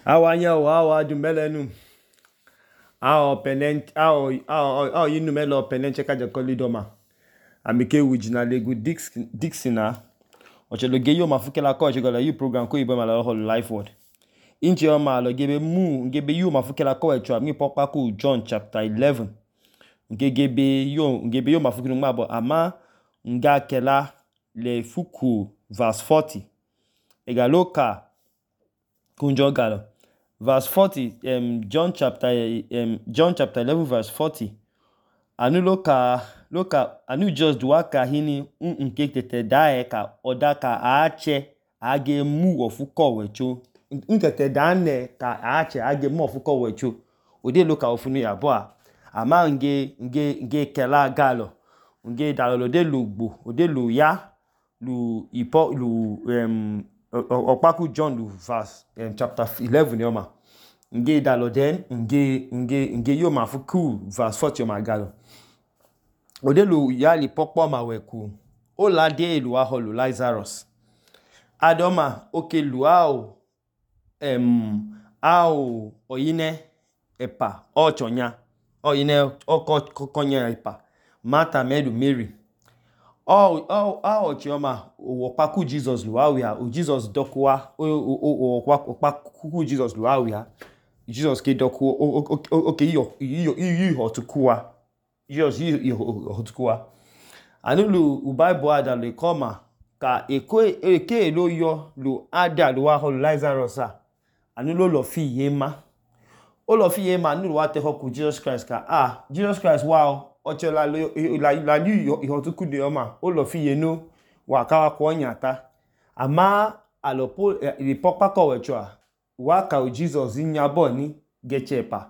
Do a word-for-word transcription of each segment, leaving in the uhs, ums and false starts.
Awanya o awa du melenu ao penent ao ao ao yinu melo penenche ka jakoli doma amike wijina legu Dixon Dixon na ochelo geyo mafukela ko chegala yu program ko ibo mala ho life word inche o ma lo gebe mu gebe yu mafukela ko echo mi popa ku John chapter eleven ngegebe yo ngebe yo mafukelu ngba ama nga kela le fuku verse forty egaloka kunjo galo verse forty um John chapter um John chapter eleven verse forty anu loka loka anu just duaka hini nke tete dae ka odaka aache age mu ofuko wecho nkete dane ka aache age mu ofuko wecho ode loka ofunu ya bo a ama nge nge nge kela galo nge dalolo de lugbo ode lu ya lu ipo lu um Okpaku John lu verse um, chapter eleven yoma nge dalo den nge nge nge yo mafuku verse forty yoma galo ode lu ya li pokpo ma weku o la de lu aholu Lazarus adoma oke lu ao em ao oyine epa ochonya oyine oko kokonya epa Martha medu Mary Oh, oh, oh, chioma, Okpaku Jesus luawia, o Jesus dokwa, o o o Okpaku Jesus luawia. Jesus ke dokwa, okay, yo, yo, yo, hotukua. Jesus yo hotukua. Anulu u Bible ada le koma ka eko eke lo yo lu ada lu wa hol Lazarus a. Anulu lo fi yema. O lo fi yema anu wa te hoku Jesus Christ ka ah, Jesus Christ wow. Oche la la la yu ihotuku de oma o lo fi yenu wa ka wa ko nyata ama alopo ri popa ko wecho wa ka o Jesus nyabo ni gechepa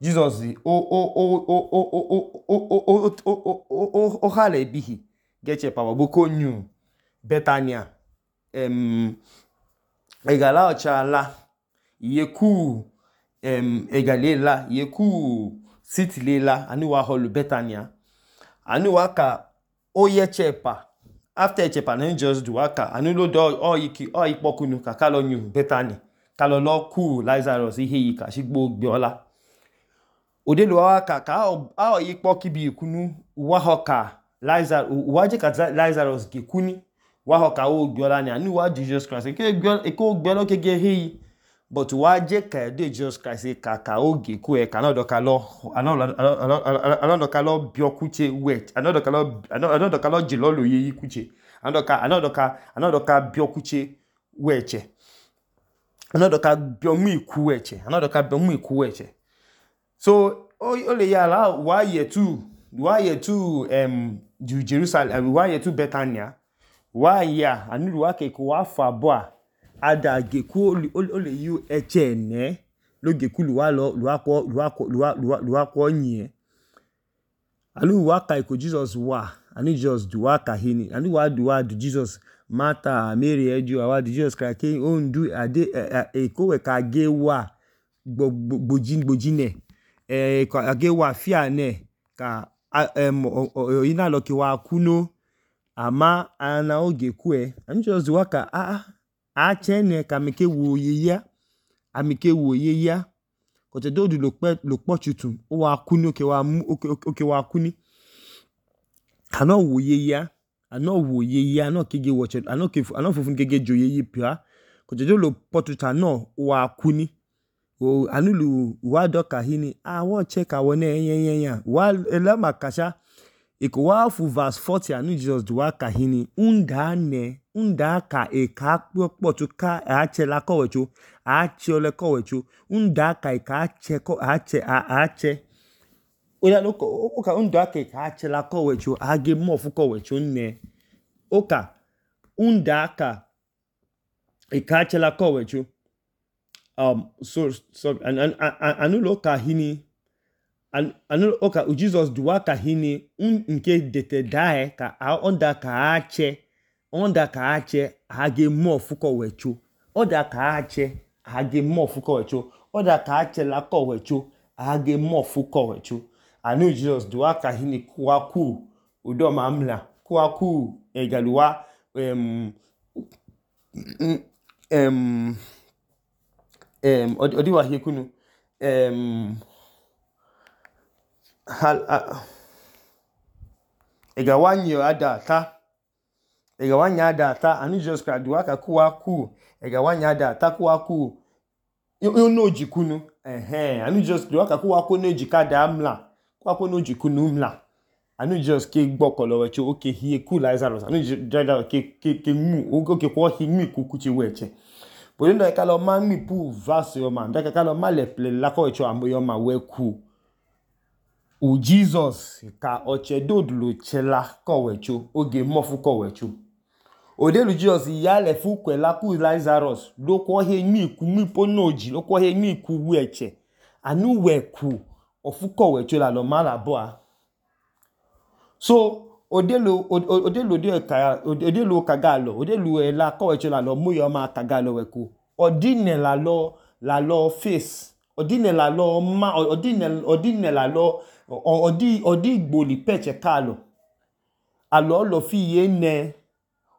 Jesus o o o o o o o o o o hale bihi gechepa boko nyu Bethania em egala ochala yeku em egalela yeku City lela anu wa holu Bethania anu waka oye chepa after chepa na just do waka anu lo do o yiki o ipokunu ka kalo nyu Bethania kalo lo ku Lazarus ihe yika shigbo gbiola ode lo waka ka a o ipoki bi ikunu wa hoka Lazarus wa je ka Lazarus ke kuni wa hoka o gbiola ni anu wa Jesus Christ ke gbiola e ko gbiola ke ge hi but wa je ka de Jesus Christ ka ka oge ku e ka na do ka lo another kalo biokuche wet another kalo another kalo jilolo yi kuche another ka another ka another ka biokuche weche another ka biomu iku weche another ka biomu iku weche so o le ya la wa ye tu wa ye tu em Jerusalem wa ye tu Bethania wa ya anu wa ke ko wa fa bo a ada geku o le yu eche ne lo geku lu wa lo lu akọ lu akọ lu akọ yin anu wa ka iko Jesus wa anu Jesus du wa ka hini anu wa du wa du Jesus Martha Mary eju wa du Jesus ka ke o ndu ade e ko we ka ge wa gbojin gbojine e ka ge wa fia ne ka em ina lo ki wa kuno ama ana oge ku e anu Jesus wa ka a a chene ka meke wo yeya amike wo yeya ko te do du lo pe lo po tutu o wa kuni oke wa mu oke wa kuni ano wo yeya ano wo yeya ano kege wo che ano ke ano fufun kege jo yeyi pia ko te do lo po tutu no wa kuni o anu lu wa doka hini a wo che ka wo ne yen yen wa ela makasha iko wa fu verse forty anu Jesus du wa ka hini unda ne unda ka e ka po tu ka a che la ko wecho a che ole ko wecho unda ka e ka che ko a che a che oya lo ko o ka unda ka e ka che la ko wecho a ge mo fu ko wecho ne o ka unda ka e ka che la ko wecho um so so anu lo ka hini anu o ka Jesus du wa ka hini nke dete dae ka a onda ka a che onda ka ache hage mo fuko wecho oda ka ache hage mo fuko wecho oda ka ache la ko wecho hage mo fuko wecho anu Jesus do aka hini kwaku udo mamla kwaku egaluwa em em um odi wa hie kunu um ega wanyo ada ta ega wanya ada ta anu Jesus Christ duwa ka kuwa ku ega wanya ada ta kuwa ku yo no jikunu eh anu Jesus duwa ka kuwa ku no jika da amla kuwa ku no jikunu mla anu Jesus ke gbokolo wecho oke hie ku Lazarus anu Jesus ke ke ke mu oke ko hi mi ku kuchi weche bo ndo ka lo ma mi pu verse yo ma ndo ka lo ma le ple la ko wecho amoyo ma we ku u Jesus ka oche dodulu chela ko wecho oge mofu ko wecho odelu Jesus ya le fu kwela ku Lazarus lo ko he mi ku mi ponoji lo ko he mi ku weche anu we ku ofu ko wecho la lo ma la bo a so odelu odelu de ka odelu kagalo odelu e la ko wecho la lo mu yo ma kagalo we ku odine la lo la lo face odine la lo ma odine odine la lo odi odi gboli peche kalo alo lo fi ye ne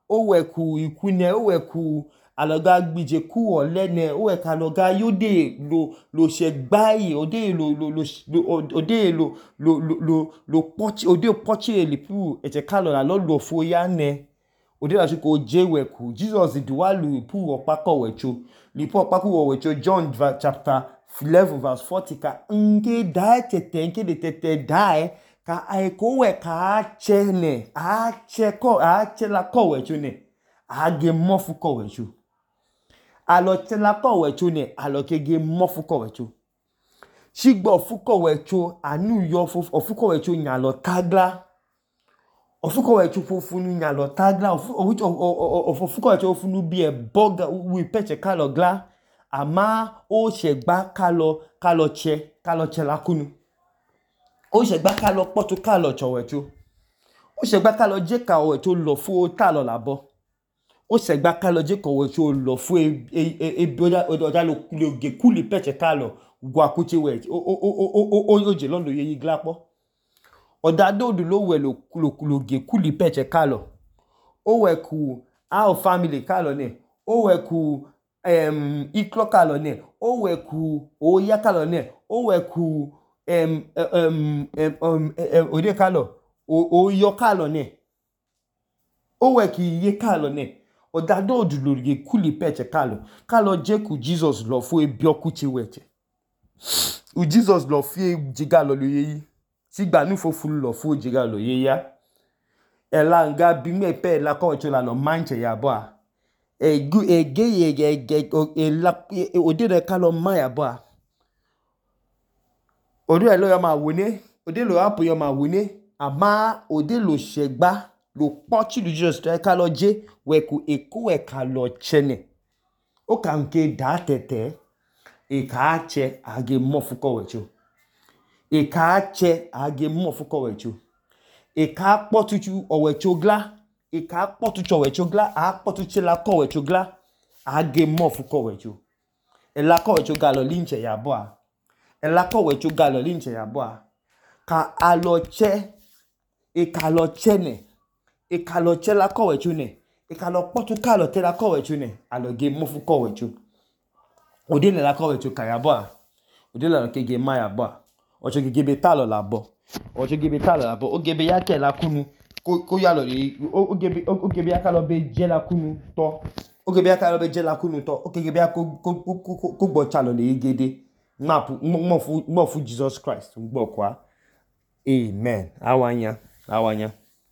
o we ku ikune o we ku aloga gbije ku ole ne o we ka loga yode lo lo se gbai ode lo lo lo ode lo lo lo lo pochi ode pochi eli pu eche kalo la lo lo fo ya ne ode la ko je we ku Jesus duwa lu pu opa ko wecho li pu opa ku wecho John chapter eleven verse forty ka nge dai tete nke de tete dai ka ai ko we ka che ne a che ko a che la ko wecho ne a ge mofu ko wecho alo che la ko wecho ne alo ke ge mofu ko wecho shigbo fu ko wecho anu yo fu ofu ko wecho nya lo tagla ofu ko wecho fofu nu nya lo tagla ofu ofu ko wecho ofu nu bi e boga wi peche kalo gla ama o segba kalo kalo che kalo che la kunu o segba kalo potu kalo chowecho o segba kalo je ka wecho lo fu ta lo labo o segba kalo je ko wecho lo fu e e boda oda lo ge kuli peche kalo gwa kuchi we o o o o o je lo lo ye glapo oda dodu lo we lo lo ge kuli peche kalo o we ku our family kalo ne o we ku um iklo kalo ne o we ku o ya kalo ne o we ku um um um ode kalo o o yo kalo ne o we ki ye kalo ne oda dodu lo ge kuli peche kalo kalo je ku Jesus lo fu e bioku chi weche u Jesus lo fi jiga lo yi sigba nu fofu lo fu jiga lo ye ya ela nga bi me pe la ko wecho la lo manche ya bo a egu ege ye e la ode de kalo ma ya bo a ode lo yo ma wone ode lo apo yo ma wone ama ode lo segba lo pochi lu Jesus to kalo je we ku eku we kalo chene o ka nke da tete e ka che age mofu ko wecho e ka che age mofu ko wecho e ka potuchu owecho gla e ka potuchu owecho gla a potuchu la ko wecho gla age mofu ko wecho e la ko wecho galo linche ya bo a e la ko wecho galo linche ya bo a ka alo che e ka lo che ne e ka lo che la ko wecho ne e ka lo potu ka lo te la ko wecho ne alo ge mofu ko wecho ode le la ko wecho ka ya bo a ode la ke ge ma ya bo a o che ge be talo la bo o che ge be talo la bo o ge be ya ke la kunu ko ko ya lo yi o ge be o ge be ya ka lo be je la kunu to o ge be ya ka lo be je la kunu to o ge be ya ko ko ko ko gbo cha lo le gede map mo fu mo fu Jesus Christ gbo kwa amen awanya awanya